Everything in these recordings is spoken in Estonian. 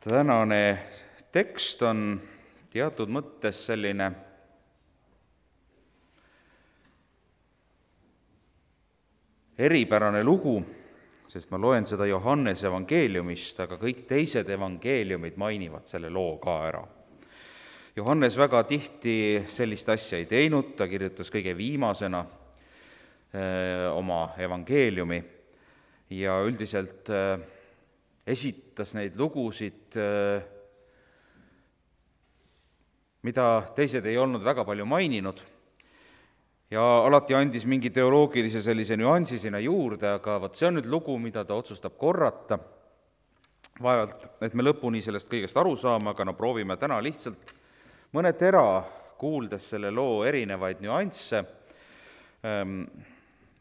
Tänane tekst on teatud mõttes selline eripärane lugu, sest ma loen seda Johannese evangeeliumist, aga kõik teised evangeeliumid mainivad selle loo ka ära. Johannes väga tihti sellist asja ei teinud, ta kirjutas kõige viimasena oma evangeeliumi ja üldiselt esitas neid lugusid, mida teised ei olnud väga palju maininud, ja alati andis mingi teoloogilise sellise nüansi sinna juurde, aga vot see on nüüd lugu, mida ta otsustab korrata. Vaevalt, et me lõpuni sellest kõigest aru saame, aga proovime täna lihtsalt mõne tera, kuuldes selle loo erinevaid nüansse,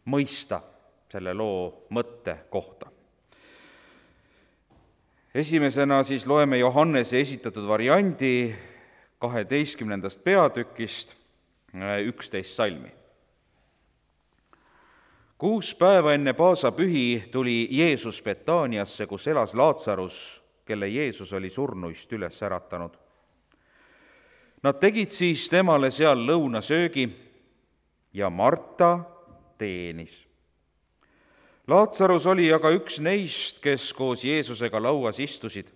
mõista selle loo mõtte kohta. Esimesena siis loeme Johannese esitatud variandi 12. peatükist 11 salmi. 6 päeva enne paasapühi tuli Jeesus Betaaniasse, kus elas Laatsarus, kelle Jeesus oli surnuist üles äratanud. Nad tegid siis temale seal lõunasöögi ja Marta teenis. Laatsarus oli aga üks neist, kes koos Jeesusega lauas istusid.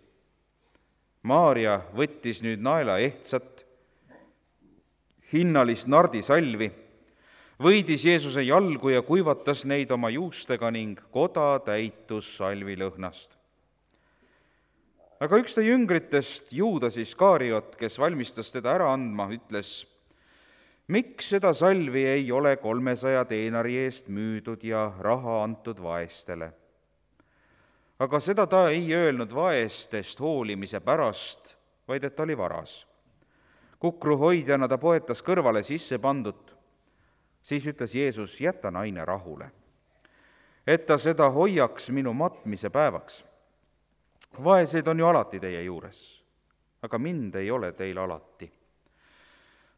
Maaria võttis nüüd naela ehtsat, hinnalist nardisalvi, võidis Jeesuse jalgu ja kuivatas neid oma juustega ning koda täitus salvilõhnast. Aga üks ta jüngritest, Juudas Iskariot, kes valmistas teda ära andma, ütles: miks seda salvi ei ole 300 teenari eest müüdud ja raha antud vaestele? Aga seda ta ei öelnud vaestest hoolimise pärast, vaid et ta oli varas. Kukruhoidjana ta poetas kõrvale sisse pandut. Siis ütles Jeesus: jäta naine rahule, et ta seda hoiaks minu matmise päevaks. Vaeseid on ju alati teie juures, aga mind ei ole teil alati.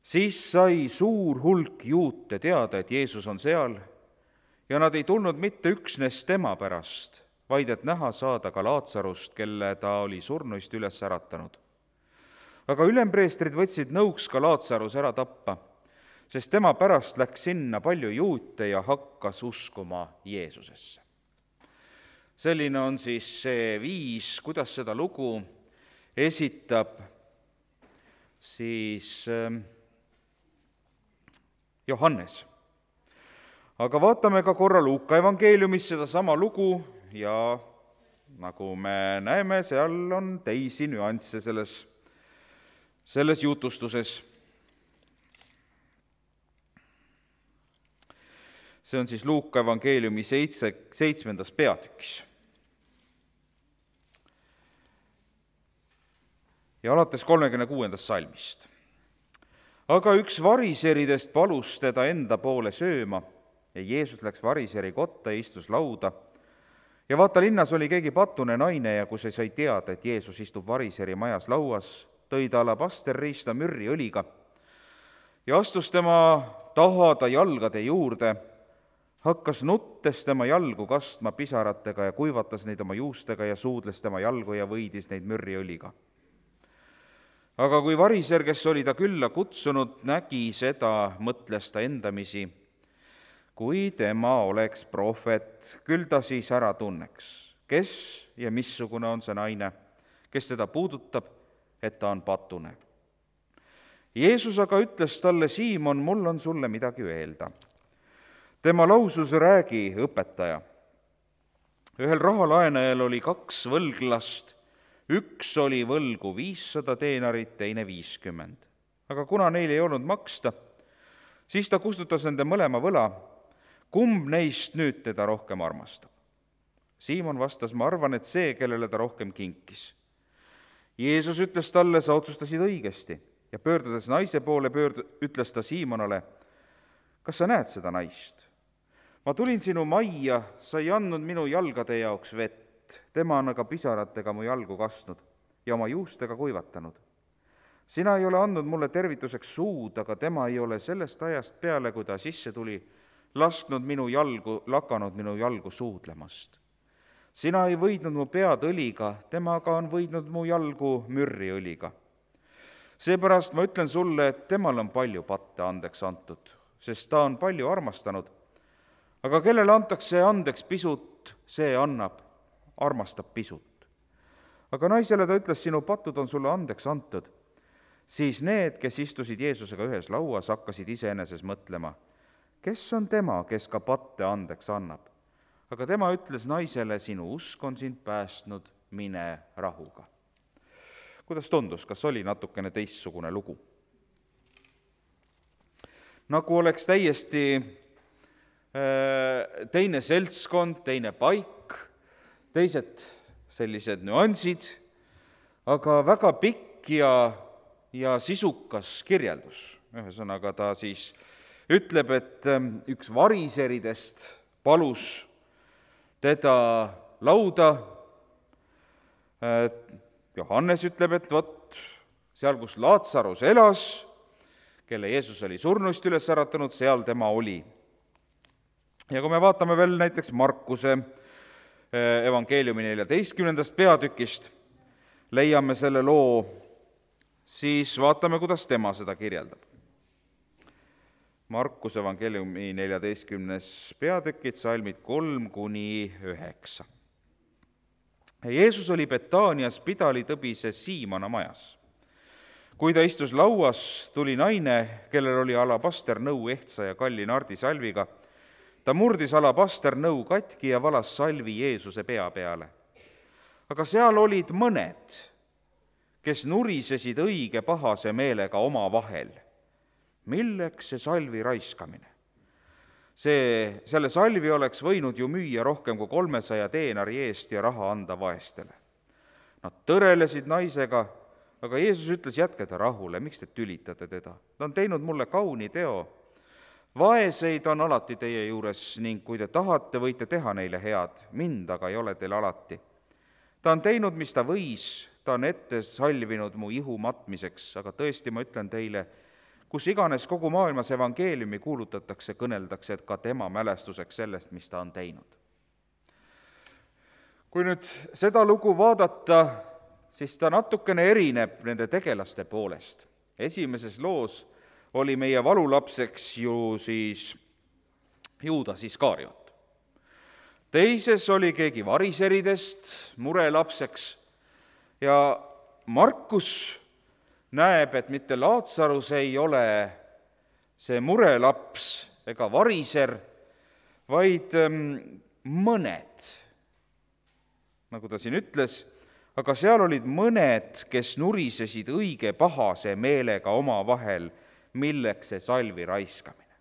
Siis sai suur hulk juute teada, et Jeesus on seal, ja nad ei tulnud mitte üksnes tema pärast, vaid et näha saada ka Laatsarust, kelle ta oli surnuist üles äratanud. Aga ülempreestrid võtsid nõuks ka Laatsarus ära tappa, sest tema pärast läks sinna palju juute ja hakkas uskuma Jeesusesse. Selline on siis see viis, kuidas seda lugu esitab siis Johannes. Aga vaatame ka korra Luuka evangeeliumis sedasama lugu ja nagu me näeme, seal on teisi nüansse selles jutustuses. See on siis Luuka evangeeliumi 7. peatükis. Ja alates 36. salmist. Aga üks variseridest palus teda enda poole sööma ja Jeesus läks variseri kotta ja istus lauda. Ja vaata, linnas oli keegi patune naine ja kui see sai teada, et Jeesus istub variseri majas lauas, tõi ta alabasterriista mürriõliga ja astus tema tahada jalgade juurde, hakkas nuttes tema jalgu kastma pisaratega ja kuivatas neid oma juustega ja suudles tema jalgu ja võidis neid mürriõliga. Aga kui variser, kes oli ta külla kutsunud, nägi seda, mõtles ta endamisi: kui tema oleks prohvet, küll ta siis ära tunneks, kes ja missugune on see naine, kes teda puudutab, et ta on patune. Jeesus aga ütles talle: Siimon, mul on sulle midagi öelda. Tema lausus: räägi, õpetaja. Ühel rahalaenajal oli 2 võlglast, üks oli võlgu 500 teenarit, teine 50. Aga kuna neil ei olnud maksta, siis ta kustutas nende mõlema võla. Kumb neist nüüd teda rohkem armastab? Siimon vastas: ma arvan, et see, kellele ta rohkem kinkis. Jeesus ütles talle: sa otsustasid õigesti, ja pöördudes naise poole, ütles ta Siimonale: kas sa näed seda naist? Ma tulin sinu majja, sa ei andnud minu jalgade jaoks vett, tema on aga pisaratega mu jalgu kastnud ja oma juustega kuivatanud. Sina ei ole andnud mulle tervituseks suud, aga tema ei ole sellest ajast peale, kui ta sisse tuli, lakanud minu jalgu suudlemast. sina ei võidnud mu pead õliga, temaga on võidnud mu jalgu mürriõliga. Seepärast ma ütlen sulle, et temal on palju patte andeks antud, sest ta on palju armastanud. Aga kellele antakse andeks pisut, see armastab pisut. Aga naisele ta ütles, sinu patud on sulle andeks antud. Siis need, kes istusid Jeesusega ühes lauas, hakkasid iseeneses mõtlema, kes on tema, kes ka patte andeks annab. Aga tema ütles naisele, sinu usk on sind päästnud, mine rahuga. Kuidas tundus, kas oli natukene teistsugune lugu? Nagu oleks täiesti teine seltskond, teine paik, teised sellised nüansid, aga väga pikk ja sisukas kirjeldus. Ühesõnaga ta siis ütleb, et üks variseridest palus teda lauda. Johannes ütleb, et vot seal, kus Laatsarus elas, kelle Jeesus oli surnust üles äratanud, seal tema oli. Ja kui me vaatame veel näiteks Markuse evangeeliumi 14. peatükist, leiame selle loo, siis vaatame, kuidas tema seda kirjeldab. Markuse evangeeliumi 14. peatükid, salmid 3-9. Jeesus oli Betaanias Pidalitõbise Siimona majas. Kui ta istus lauas, tuli naine, kellel oli alabasternõu ehtsa ja kalli nardisalviga. Ta murdis alabasternõu katki ja valas salvi Jeesuse pea peale. Aga seal olid mõned, kes nurisesid õige pahase meelega oma vahel. Milleks see salvi raiskamine? Selle salvi oleks võinud ju müüa rohkem kui 300 teenari eest ja raha anda vaestele. Nad tõrelesid naisega, aga Jeesus ütles, jätke ta rahule, miks te tülitate teda? Ta on teinud mulle kauni teo. Vaeseid on alati teie juures ning kui te tahate, võite teha neile head, mind aga ei ole teil alati. Ta on teinud, mis ta võis, ta on ette salvinud mu ihu matmiseks, aga tõesti ma ütlen teile, kus iganes kogu maailmas evangeeliumi kuulutatakse, kõneldakse, et ka tema mälestuseks sellest, mis ta on teinud. Kui nüüd seda lugu vaadata, siis ta natukene erineb nende tegelaste poolest. Esimeses loos oli meie valulapseks ju siis Juudas Iskariot. Teises oli keegi variseridest murelapseks ja Markus näeb, et mitte Laatsarus ei ole see murelaps ega variser, vaid mõned, nagu ta siin ütles, aga seal olid mõned, kes nurisesid õige pahase meelega oma vahel, milleks see salvi raiskamine.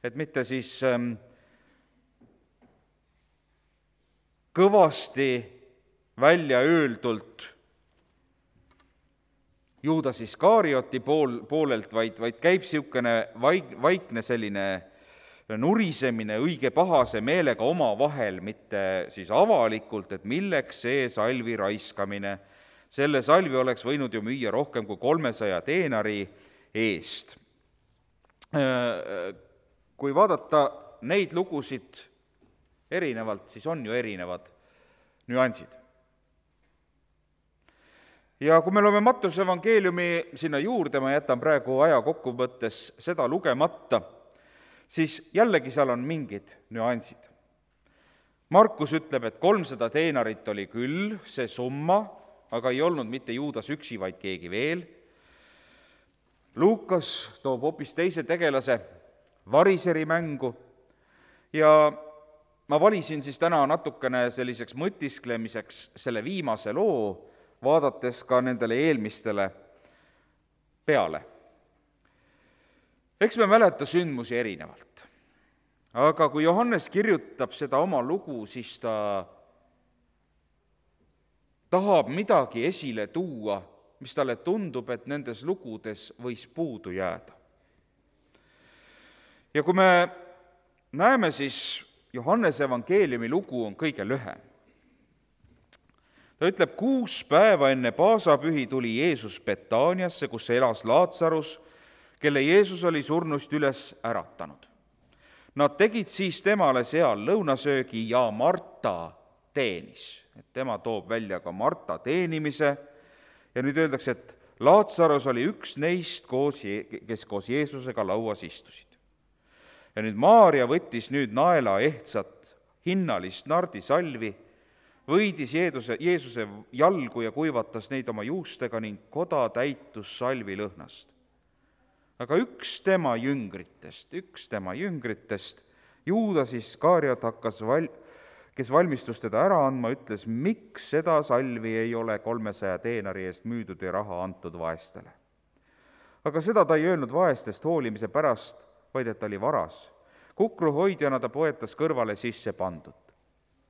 Et mitte siis kõvasti välja öeldult Juudas Iskarioti poolelt, vaid käib niisugune vaikne selline nurisemine õige pahase meelega oma vahel, mitte siis avalikult, et milleks see salvi raiskamine. Selle salvi oleks võinud ju müüa rohkem kui 300 teenari eest. Kui vaadata neid lugusid erinevalt, siis on ju erinevad nüansid. Ja kui me loeme Mattuse evangeeliumi sinna juurde, ma jätan praegu aja kokkuvõttes seda lugemata, siis jällegi seal on mingid nüansid. Markus ütleb, et 300 teenarit oli küll see summa, aga ei olnud mitte Juudas üksi, vaid keegi veel. Luukas toob hoopis teise tegelase, variseri mängu, ja ma valisin siis täna natukene selliseks mõtisklemiseks selle viimase loo, vaadates ka nendele eelmistele peale. Eks me mäleta sündmusi erinevalt. Aga kui Johannes kirjutab seda oma lugu, siis ta tahab midagi esile tuua, mis talle tundub, et nendes lugudes võis puudu jääda. Ja kui me näeme, siis Johannese evangeeliumi lugu on kõige lühem. Ta ütleb, 6 päeva enne paasapühi tuli Jeesus Betaaniasse, kus elas Laatsarus, kelle Jeesus oli surnust üles äratanud. Nad tegid siis temale seal lõunasöögi ja Marta teenis. Et tema toob välja ka Marta teenimise ja nüüd öeldakse, et Laatsaros oli üks neist, kes koos Jeesusega lauas istusid. Ja nüüd Maarja võttis nüüd naela ehtsat hinnalist nardisalvi, võidis Jeesuse jalgu ja kuivatas neid oma juustega ning koda täitus salvi lõhnast. Aga üks tema jüngritest, Juudas Iskariot kes valmistus teda ära andma, ütles, miks seda salvi ei ole 300 deenari eest müüdud ja raha antud vaestele. Aga seda ta ei öelnud vaestest hoolimise pärast, vaid et ta oli varas. Kukruhoidjana ta poetas kõrvale sisse pandud.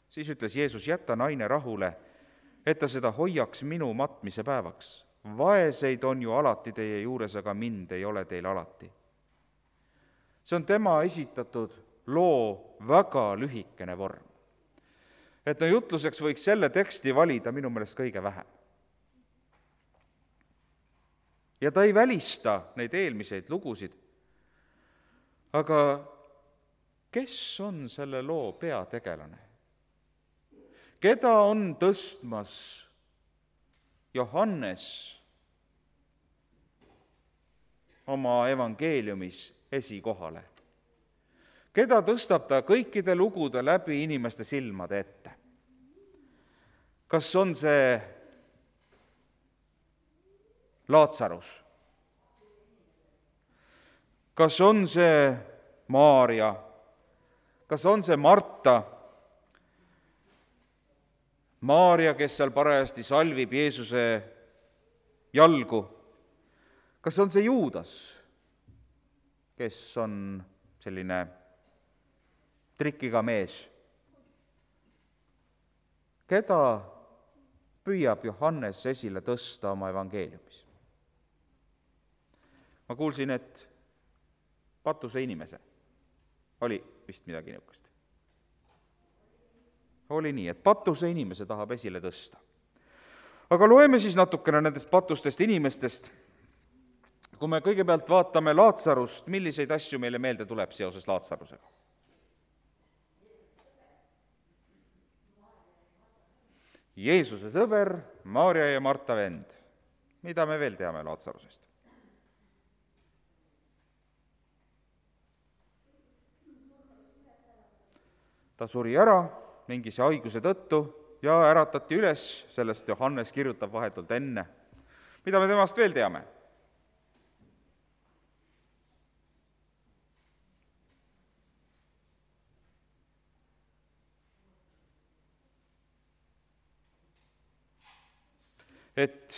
Siis ütles Jeesus, jäta naine rahule, et ta seda hoiaks minu matmise päevaks. Vaeseid on ju alati teie juures, aga mind ei ole teil alati. See on tema esitatud loo väga lühikene vorm. Et jutluseks võiks selle teksti valida minu meelest kõige vähem. Ja ta ei välista neid eelmiseid lugusid, aga kes on selle loo peategelane? Keda on tõstmas Johannes oma evangeeliumis esikohale? Keda tõstab ta kõikide lugude läbi inimeste silmade ette? Kas on see Laatsarus? Kas on see Maarja? Kas on see Marta? Maarja, kes seal parajasti salvib Jeesuse jalgu? Kas on see Juudas, kes on selline trikiga mees? Keda püüab Johannes esile tõsta oma evangeeliumis? Ma kuulsin, et patuse inimese oli vist midagi niisugust. Oli nii, et patuse inimese tahab esile tõsta. Aga loeme siis natukene nendest patustest inimestest. Kui me kõigepealt vaatame Laatsarust, milliseid asju meile meelde tuleb seoses Laatsarusega? Jeesuse sõber, Maarja ja Marta vend. Mida me veel teame Laatsarusest? Ta suri ära mingise haiguse tõttu ja äratati üles, sellest Johannes kirjutab vahetult enne. Mida me temast veel teame? Et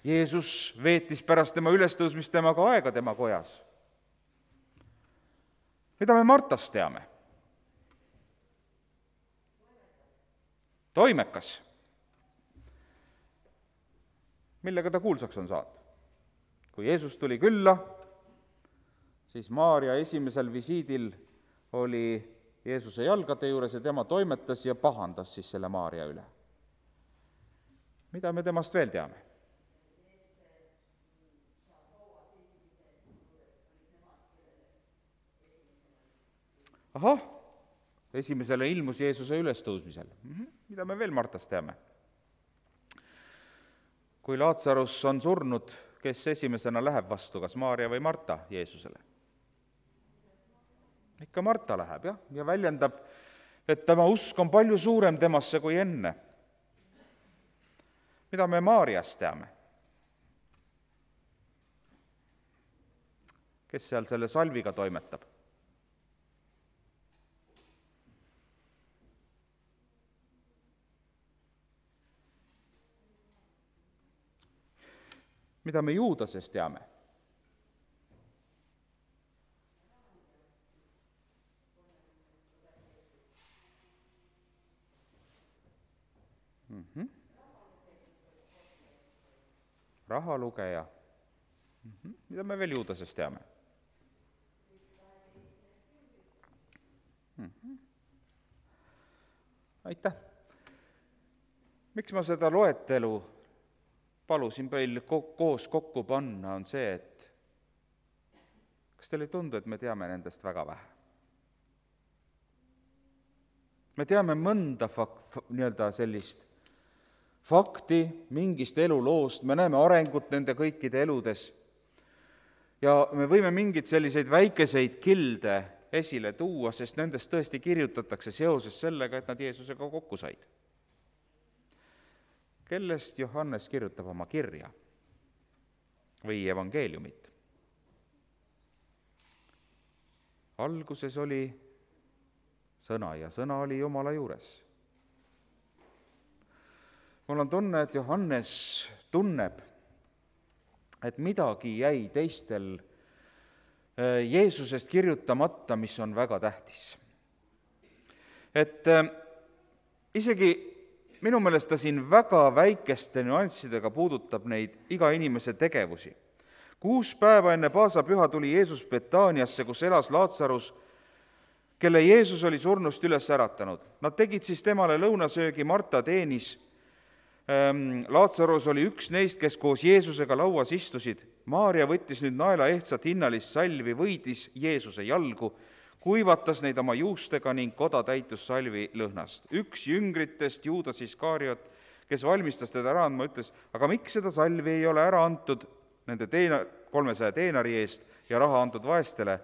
Jeesus veetis pärast tema ülestõusmist temaga aega tema kojas. Mida me Martast teame? Toimekas. Millega ta kuulsaks on saanud? Kui Jeesus tuli külla, siis Maarja esimesel visiidil oli Jeesuse jalgade juures ja tema toimetas ja pahandas siis selle Maarja üle. Mida me temast veel teame? Ahah, esimesele ilmus Jeesuse ülestõusmisel. Mida me veel Martast teame? Kui Laatsarus on surnud, kes esimesena läheb vastu, kas Maarja või Marta Jeesusele? Ikka Marta läheb, jah, ja väljendab, et tema usk on palju suurem temasse kui enne. Mida me Maarjast teame? Kes seal selle salviga toimetab? Mida me Juudasest teame? Rahalugeja. Mida me veel Juudasest teame? Aitäh! Miks ma seda loetelu palusin meil koos kokku panna, on see, et kas teile ei tundu, et me teame nendest väga vähe? Me teame mõnda sellist fakti mingist eluloost, me näeme arengut nende kõikide eludes ja me võime mingeid selliseid väikeseid kilde esile tuua, sest nendest tõesti kirjutatakse seoses sellega, et nad Jeesusega kokku said. Kellest Johannes kirjutab oma kirja või evangeeliumit? Alguses oli sõna ja sõna oli Jumala juures. Mul on tunne, et Johannes tunneb, et midagi jäi teistel Jeesusest kirjutamata, mis on väga tähtis. Et isegi minu meelest ta siin väga väikeste nüanssidega puudutab neid iga inimese tegevusi. 6 päeva enne paasapüha tuli Jeesus Betaaniasse, kus elas Laatsarus, kelle Jeesus oli surnust üles äratanud. Nad tegid siis temale lõunasöögi, Marta teenis. Laatsarus oli üks neist, kes koos Jeesusega lauas istusid. Maaria võttis nüüd naela ehtsat hinnalist salvi, võidis Jeesuse jalgu, kuivatas neid oma juustega ning koda täitus salvi lõhnast. Üks jüngritest, Juudas Iskariot, kes valmistas teda ära andma, ütles, aga miks seda salvi ei ole ära antud nende 300 teenari eest ja raha antud vaestele?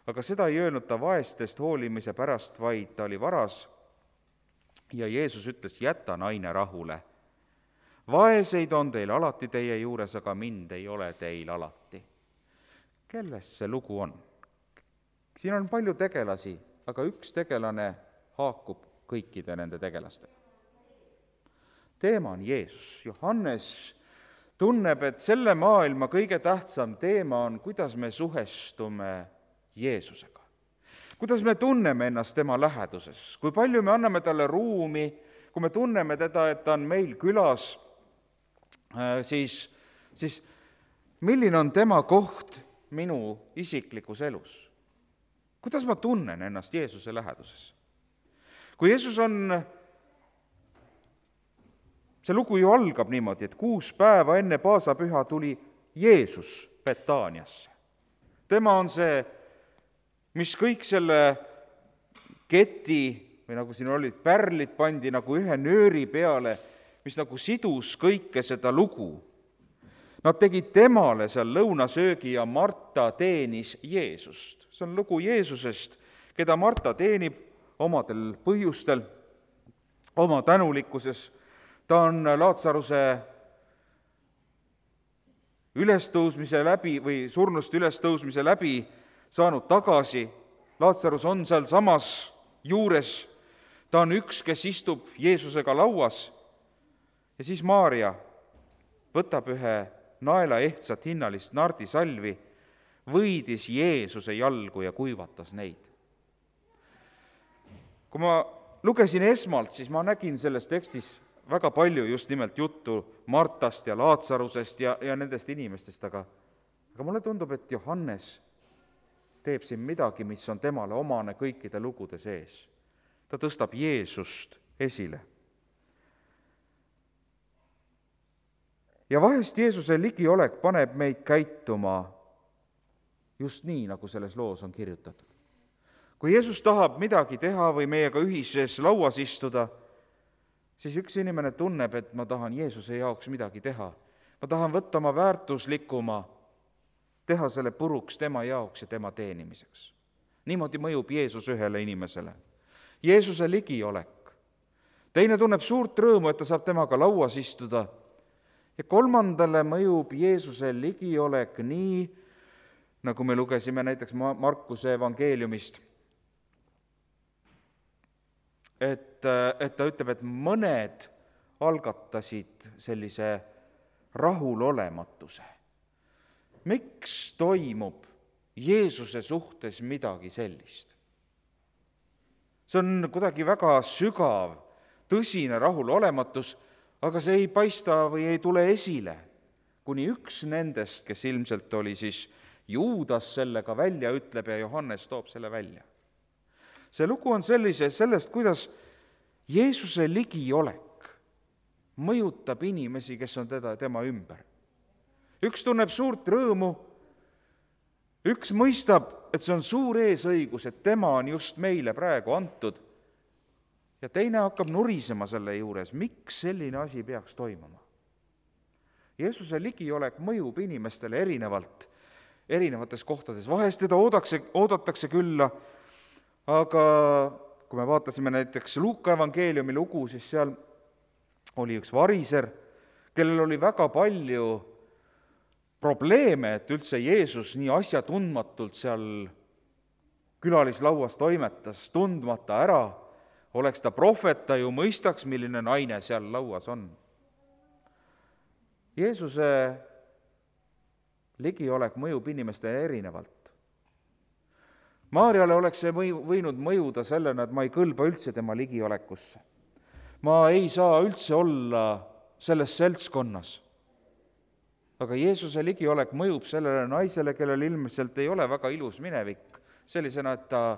Aga seda ei öelnud ta vaestest hoolimise pärast, vaid ta oli varas. Ja Jeesus ütles, jäta naine rahule. Vaeseid on teil alati teie juures, aga mind ei ole teil alati. Kelles see lugu on? Siin on palju tegelasi, aga üks tegelane haakub kõikide nende tegelastega. Teema on Jeesus. Johannes tunneb, et selle maailma kõige tähtsam teema on, kuidas me suhestume Jeesusega. Kuidas me tunneme ennast tema läheduses, kui palju me anname talle ruumi, kui me tunneme teda, et ta on meil külas, siis milline on tema koht minu isiklikus elus? Kuidas ma tunnen ennast Jeesuse läheduses? Kui Jeesus on, see lugu ju algab niimoodi, et 6 päeva enne paasapüha tuli Jeesus Betaaniasse. Tema on see, mis kõik selle keti, või nagu siin olid, pärlid pandi nagu ühe nööri peale, mis nagu sidus kõike seda lugu. Nad tegid temale seal lõunasöögi ja Marta teenis Jeesust. See on lugu Jeesusest, keda Marta teenib omadel põhjustel, oma tänulikkuses. Ta on Laatsaruse ülestõusmise läbi või surnust ülestõusmise läbi saanud tagasi. Laatsarus on seal samas juures. Ta on üks, kes istub Jeesusega lauas. Ja siis Maaria võtab ühe naela ehtsat hinnalist nardisalvi, võidis Jeesuse jalgu ja kuivatas neid. Kui ma lugesin esmalt, siis ma nägin selles tekstis väga palju just nimelt juttu Martast ja Laatsarusest ja nendest inimestest, aga mulle tundub, et Johannes teeb siin midagi, mis on temale omane kõikide lugude sees. Ta tõstab Jeesust esile. Ja vahest Jeesuse ligiolek paneb meid käituma just nii, nagu selles loos on kirjutatud. Kui Jeesus tahab midagi teha või meiega ühises lauas istuda, siis üks inimene tunneb, et ma tahan Jeesuse jaoks midagi teha. Ma tahan võtta oma väärtuslikuma, teha selle puruks tema jaoks ja tema teenimiseks. Niimoodi mõjub Jeesus ühele inimesele. Jeesuse ligiolek. Teine tunneb suurt rõõmu, et ta saab temaga lauas istuda. Ja 3. mõjub Jeesuse ligiolek nii, nagu me lugesime näiteks Markuse evangeeliumist, et ta ütleb, et mõned algatasid sellise rahulolematuse. Miks toimub Jeesuse suhtes midagi sellist? See on kuidagi väga sügav, tõsine rahulolematus, aga see ei paista või ei tule esile, kuni üks nendest, kes ilmselt oli siis Juudas, sellega välja ütleb ja Johannes toob selle välja. See lugu on sellest, kuidas Jeesuse ligiolek mõjutab inimesi, kes on tema ümber. Üks tunneb suurt rõõmu, üks mõistab, et see on suur eesõigus, et tema on just meile praegu antud. ja teine hakkab nurisema selle juures, miks selline asi peaks toimuma. Jeesuse ligiolek mõjub inimestele erinevalt, erinevates kohtades. Vahest teda oodatakse külla, aga kui me vaatasime näiteks Luuka evangeeliumi lugu, siis seal oli üks variser, kellel oli väga palju probleeme, et üldse Jeesus nii asjatundmatult seal külalislauas toimetas, tundmata ära. Oleks ta prohvet, ta ju mõistaks, milline naine seal lauas on. Jeesuse ligiolek mõjub inimestele erinevalt. Maarjale oleks see võinud mõjuda sellena, et ma ei kõlba üldse tema ligiolekusse. Ma ei saa üldse olla selles seltskonnas. Aga Jeesuse ligiolek mõjub sellele naisele, kellel ilmselt ei ole väga ilus minevik, sellisena, et ta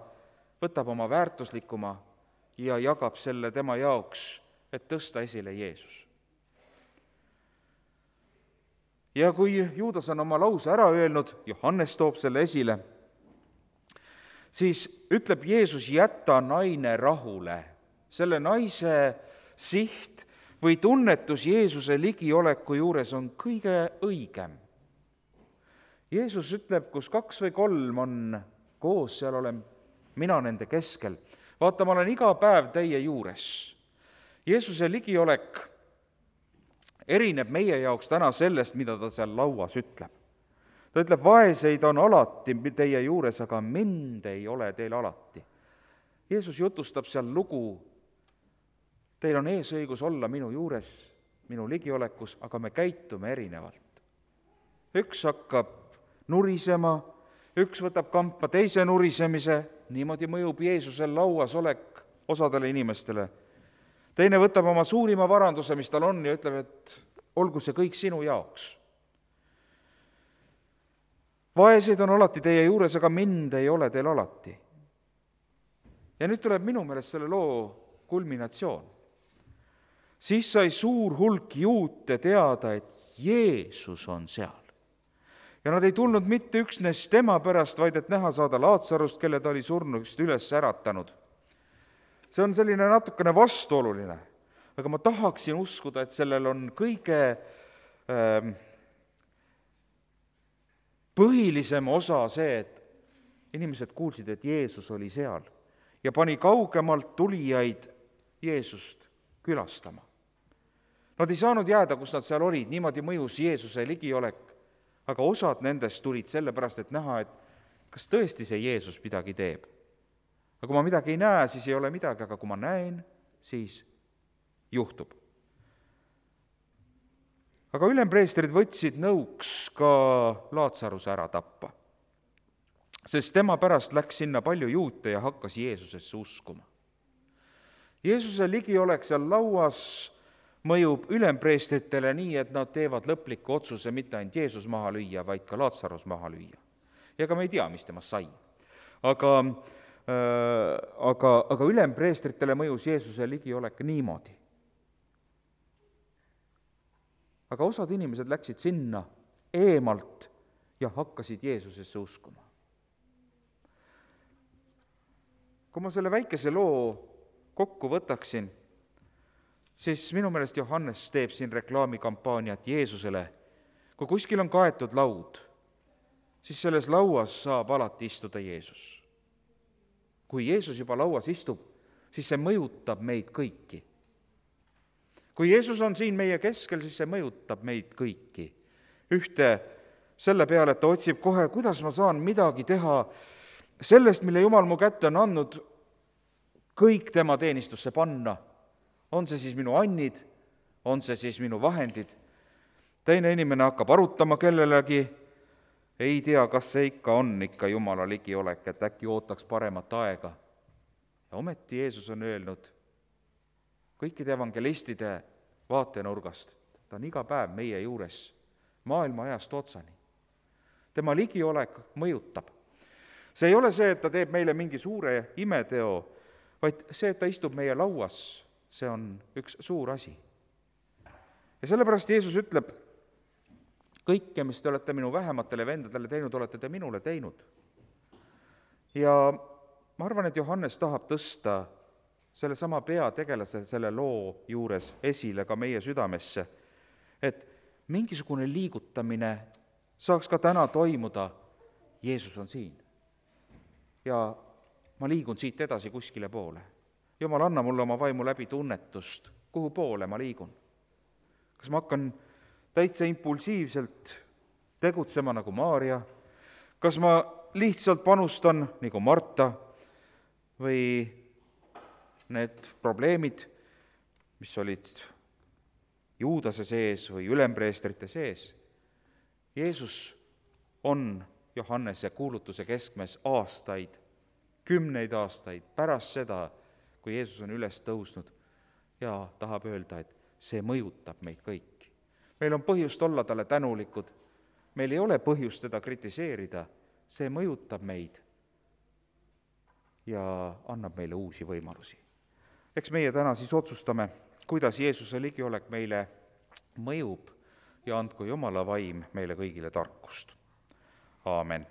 võtab oma väärtuslikuma ja jagab selle tema jaoks, et tõsta esile Jeesus. Ja kui Juudas on oma lause ära öelnud, Johannes toob selle esile, siis ütleb Jeesus, jäta naine rahule. Selle naise siht või tunnetus Jeesuse ligioleku juures on kõige õigem. Jeesus ütleb, kus 2 või 3 on koos, seal olen mina nende keskel. Vaata, ma olen iga päev teie juures. Jeesuse ligiolek erineb meie jaoks täna sellest, mida ta seal lauas ütleb. Ta ütleb, vaeseid on alati teie juures, aga mind ei ole teil alati. Jeesus jutustab seal lugu, teil on eesõigus olla minu juures, minu ligiolekus, aga me käitume erinevalt. Üks hakkab nurisema, üks võtab kampa teise nurisemise, niimoodi mõjub Jeesusel lauas olek osadele inimestele. Teine võtab oma suurima varanduse, mis tal on, ja ütleb, et olgu see kõik sinu jaoks. Vaeseid on alati teie juures, aga mind ei ole teil alati. Ja nüüd tuleb minu meelest selle loo kulminatsioon. Siis sai suur hulk juute teada, et Jeesus on seal. Ja nad ei tulnud mitte üksnes tema pärast, vaid et näha saada Laatsarust, kelle ta oli surnust üles äratanud. See on selline natukene vastuoluline, aga ma tahaksin uskuda, et sellel on kõige põhilisem osa see, et inimesed kuulsid, et Jeesus oli seal ja pani kaugemalt tulijaid Jeesust külastama. Nad ei saanud jääda, kus nad seal olid, niimoodi mõjus Jeesuse ligiolek, aga osad nendest tulid sellepärast, et näha, et kas tõesti see Jeesus midagi teeb. Aga kui ma midagi ei näe, siis ei ole midagi, aga kui ma näen, siis juhtub. Aga ülempreestrid võtsid nõuks ka Laatsaruse ära tappa, sest tema pärast läks sinna palju juute ja hakkas Jeesusesse uskuma. Jeesuse ligiolek seal lauas mõjub ülempreestritele nii, et nad teevad lõpliku otsuse mitte ainult Jeesus maha lüüa, vaid ka Laatsarus maha lüüa. Ja ka me ei tea, mis temast sai. Aga ülempreestritele mõjus Jeesuse ligiolek niimoodi. Aga osad inimesed läksid sinna eemalt ja hakkasid Jeesusesse uskuma. Kui ma selle väikese loo kokku võtaksin, siis minu meelest Johannes teeb siin reklaamikampaaniat Jeesusele. Kui kuskil on kaetud laud, siis selles lauas saab alati istuda Jeesus. Kui Jeesus juba lauas istub, siis see mõjutab meid kõiki. Kui Jeesus on siin meie keskel, siis see mõjutab meid kõiki. Ühte selle peale, et ta otsib kohe, kuidas ma saan midagi teha sellest, mille Jumal mu kätte on andnud, kõik tema teenistusse panna. On see siis minu annid, on see siis minu vahendid. Teine inimene hakkab arutama kellelegi, ei tea, kas see ikka on ikka Jumala ligiolek, et äkki ootaks paremat aega. Ja ometi Jeesus on öelnud kõikide evangelistide vaatenurgast, ta on iga päev meie juures, maailma ajast otsani. Tema ligiolek mõjutab. See ei ole see, et ta teeb meile mingi suure imeteo, vaid see, et ta istub meie lauas, see on üks suur asi. Ja sellepärast Jeesus ütleb, kõike, mis te olete minu vähematele vendadele teinud, olete te minule teinud. Ja ma arvan, et Johannes tahab tõsta sellesama peategelase selle loo juures esile ka meie südamesse, et mingisugune liigutamine saaks ka täna toimuda. Jeesus on siin ja ma liigun siit edasi kuskile poole. Jumal, anna mulle oma vaimu läbi tunnetust, kuhu poole ma liigun. Kas ma hakkan täitsa impulsiivselt tegutsema nagu Maarja, kas ma lihtsalt panustan nagu Marta või need probleemid, mis olid Juudase sees või ülempreestrite sees. Jeesus on Johannese kuulutuse keskmes aastaid, 10 aastaid pärast seda, kui Jeesus on üles tõusnud ja tahab öelda, et see mõjutab meid kõiki. Meil on põhjust olla talle tänulikud, meil ei ole põhjust teda kritiseerida, see mõjutab meid ja annab meile uusi võimalusi. Eks meie täna siis otsustame, kuidas Jeesuse ligiolek meile mõjub ja andku Jumala vaim meile kõigile tarkust. Aamen.